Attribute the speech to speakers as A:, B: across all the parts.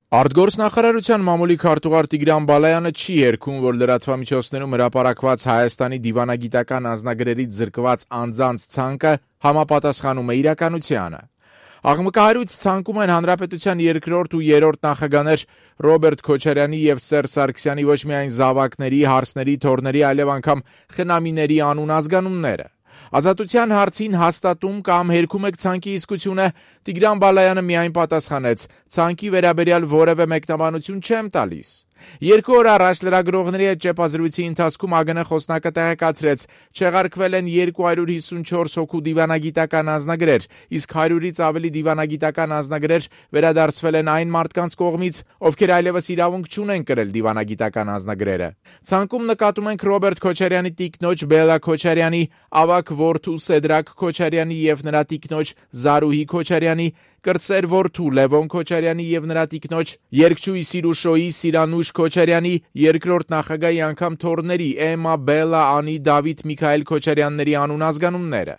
A: Արտգործնախարարության մամուլի քարտուղար Տիգրան Բալայանը չի երգում, որ լրատվամիջոցներում հրապարակված Հայաստանի դիվանագիտական անձնագրերից զրկված անձանց ցանկը համապատասխանում է իրականությանը։ Աղմկահարույց ցանկում են հանրապետության երկրորդ ու երրորդ նախագահներ Ռոբերտ Քոչարյանի եւ Սերժ Սարգսյանի ոչ միայն զավակների, հարսների, թոռների, այլև անգամ խնամիների անուն ազգանունները։ Ազատության հարցին հաստատում կամ հերքում եք ցանկի իսկությունը, Տիգրան Բալայանը միայն պատասխանեց. ցանկի վերաբերյալ որևէ մեկնաբանություն չեմ տալիս։ 2 օր առաջ լրագրողների հետ ճեպազրույցի ընթացքում ԱԳՆ խոսնակը տեղեկացրեց, չեղարկվել են 254 հոգու դիվանագիտական անձնագրեր, իսկ 100-ից ավելի դիվանագիտական անձնագրեր վերադարձվել են այն մարդկանց կողմից, ովքեր այլևս իրավունք չունեն կրել դիվանագիտական անձնագրերը։ Ցանկում նկատում ենք Ռոբերտ Քոչարյանի տիկնոջ Բելլա Քոչարյանի, ավագ որդու Սեդրակ Քոչարյանի եւ նրա տիկնոջ Զարուհի Քոչարյանի, կրտսեր որդու Լևոն Քոչարյանի եւ նրա տիկնոջ երգչուհի Սիրուշոյի Սիրանուշ Քոչարյանի, երկրորդ նախագահի անգամ թոռների Էմմա, Բելլա, Անի, Դավիթ, Միքայել Քոչարյանների անուն ազգանունները։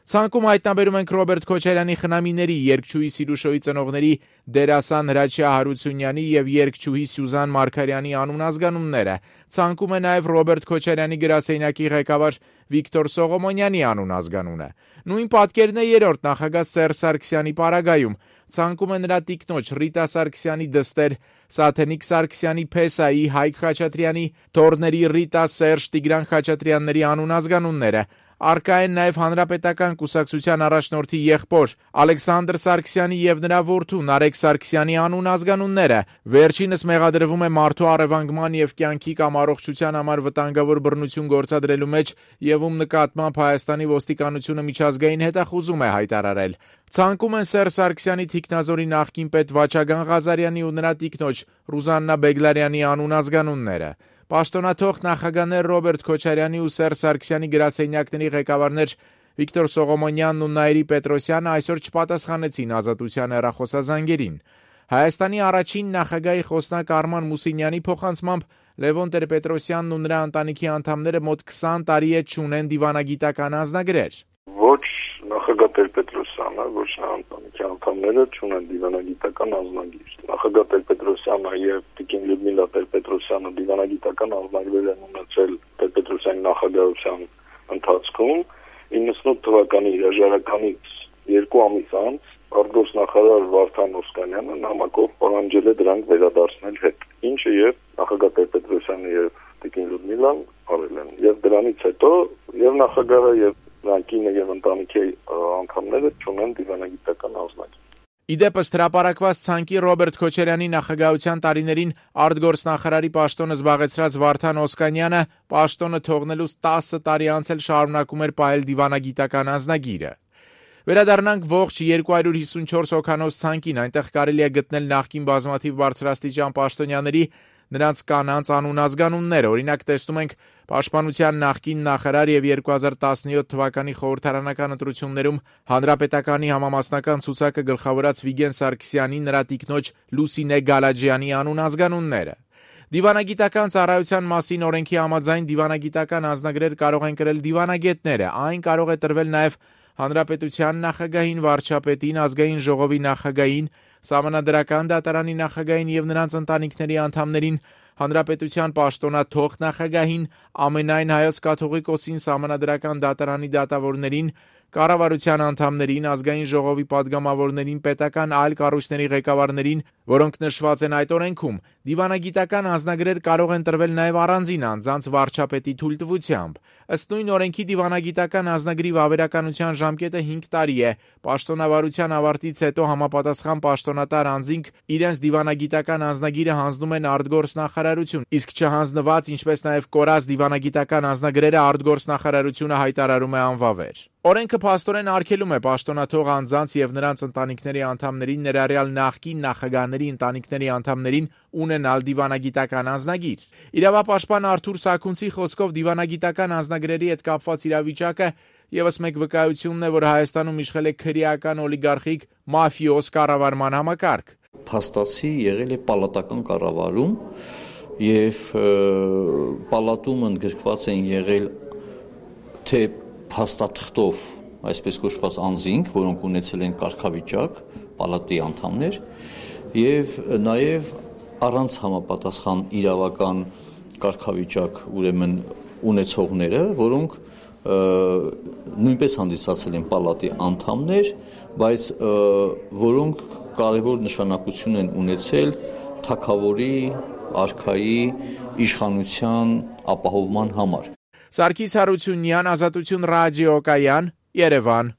A: Ցանկում հայտնաբերում ենք Ռոբերտ Քոչարյանի խնամիների, երգչուհի Սիրուշոյի ծնողների դերասան Հրաչյա Հարությունյանի եւ երգչուհի Սյուզան Մարգարյանի անուն ազգանունները։ Ցանկում է նաեւ Ռոբերտ Քոչարյանի գրասենյակի ղեկավար Վիկտոր Սողոմոնյանի անուն ազգանունը։ Նույն պատկերն է երրորդ նախագահ Սերժ Սարգսյանի պարագայում։ Ցանկում է նրա տիկնոջ Ռիտա Սարգսյանի դստեր Սաթենիկ Սարգսյանի, Փեսայի, Հայկ Խաչատրյանի, թոռների Ռիտա, Սերժ, Տիգրան Խաչատրյանների անուն ազգանունները։ Արկա են նաև հանրապետական կուսակցության առաջնորդի եղբոր Ալեքսանդր Սարգսյանի եւ նրա որդու Նարեկ Սարգսյանի անուն ազգանունները։ Վերջինս մեղադրվում է մարդու առևանգման եւ կյանքի կամ առողջության համար վտանգավոր բռնություն գործադրելու մեջ եւ ում նկատմամբ Հայաստանի ոստիկանությունը միջազգային հետախուզում է հայտարարել։ Ցանկում են Սերժ Սարգսյանի թիկնազորի նախկին պետ Վաչագան Ղազարյանի ու նրա տիկնոջ Ռուզաննա Բեգլարյանի անուն ազգանունները։ Պաշտոնաթող նախագահներ Ռոբերտ Քոչարյանի ու Սերժ Սարգսյանի գրասենյակների ղեկավարներ Վիկտոր Սողոմոնյանն ու Նաիրի Պետրոսյանը այսօր չպատասխանեցին Ազատության հեռախոսազանգերին։ Հայաստանի առաջին նախագահի խոսնակ Արման Մուսինյանի փոխանցմամբ Լևոն Տեր-Պետրոսյանն ու նրա ընտանիքի անդամները մոտ 20 տարի է չունեն դիվանագիտական անձնագրեր։
B: Ոչ նախագահ Տեր-Պետրոսյանը, ոչ նրա ընտանիքի անդամները չունեն դիվանագիտական անձնագիր։ Նախագահ Տեր-Պետրոսյանը եւ Տիկին Լյուդմիլա Տեր-Պետրոսյանը դիվանագիտական անձնագրեր են ունեցել Տեր-Պետրոսյանի նախագահության ընթացքում 98 թվականի հրաժարականից 2 ամիս անց արտգործնախարար Վարդան Օսկանյանը նամակով պահանջել է դրանք վերադարձնել հետ, ինչը եւ նախագահ Տեր-Պետրոսյանը եւ Տիկին Լյուդմիլան արել են։ Եվ դրանից հետո եւ նախագահը եւ Կինը եւ ընտանիքի անդամները չունեն դիվանագիտական անձնագիր։
A: Իդեպս հրապարակված ցանկի Ռոբերտ Քոչարյանի նախագահության տարիներին արտգործնախարարի պաշտոնը զբաղեցրած Վարդան Օսկանյանը պաշտոնը թողնելուց 10 տարի անց էլ շարունակում էր պահել դիվանագիտական անձնագիրը։ Վերադառնանք ողջ 254 հոգանոց ցանկին, այնտեղ կարելի է գտնել նախկին բազմաթիվ բարձրաստիճան պաշտոնյաների նրանց կանանց անուն ազգանունները։ Օրինակ տեսնում ենք Պաշտպանության նախկին նախարար եւ 2017 թվականի խորհրդարանական ընտրություններում Հանրապետականի համամասնական ցուցակը գլխավորած Վիգեն Սարգսյանի, նրա տիկնոջ Լուսինե Գալաջյանի անուն ազգանունները։ Դիվանագիտական ծառայության մասին օրենքի համաձայն դիվանագիտական անձնագրեր կարող են կրել դիվանագետները։ Այն կարող է տրվել նաեւ Հանրապետության նախագահին, վարչապետին, ազգային ժողովի նախագահին, Սահմանադրական դատարանի նախագահին եւ նրանց ընտանիքների անդամներին, Հանրապետության պաշտոնաթող նախագահին, ամենայն հայոց կաթողիկոսին, Սահմանադրական դատարանի դատավորներին, կառավարության անդամներին, ազգային ժողովի падգամավորներին, պետական այլ կառույցների ղեկավարներին, որոնք նշված են այդ օրենքում։ Դիվանագիտական անձնագրեր կարող են տրվել նաև առանձին անձանց վարչապետի թույլտվությամբ։ Ըստ նույն օրենքի դիվանագիտական անձնագրի վավերականության ժամկետը 5 տարի է։ Պաշտոնավարության ավարտից հետո համապատասխան պաշտոնատար անձինք իրենց դիվանագիտական անձնագիրը հանձնում են արտգործնախարարություն, իսկ չհանձնված, ինչպես նաև կորած դիվանագիտական անձնագրերը արտգործնախարարությունը հայտարարում է անվավեր։ Օրենքը փաստորեն արգելում է պաշտոնաթող անձանց եւ նրանց ընտանիքների անդամներին, ներառյալ նախկին նախագահների ընտանիքների անդամներին ունենալ դիվանագիտական անձնագիր։ Իրավապաշտպան Արթուր Սաքունցի խոսքով դիվանագիտական անձնագրերի հետ կապված իրավիճակը եւս մեկ վկայությունն է, որ Հայաստանում իշխել է քրեական օլիգարխիկ մաֆիոզ կառավարման համակարգ։
C: Փաստացի եղել է պալատական կառավարում եւ պալատում ընդգրկված են եղել թե փաստաթղթով այսպես կոչված անձինք, որոնք ունեցել են կարգավիճակ, պալատի անդամներ, եւ նաեւ առանց համապատասխան իրավական կարգավիճակ ուրեմն ունեցողները, որոնք նույնպես հանդիսացել են պալատի անդամներ, բայց որոնք կարևոր նշանակություն են ունեցել թագավորի, արքայի, իշխանության ապահովման համար։
A: Սարգիս Հարությունյան, Ազատություն ռադիոկայան, Երևան։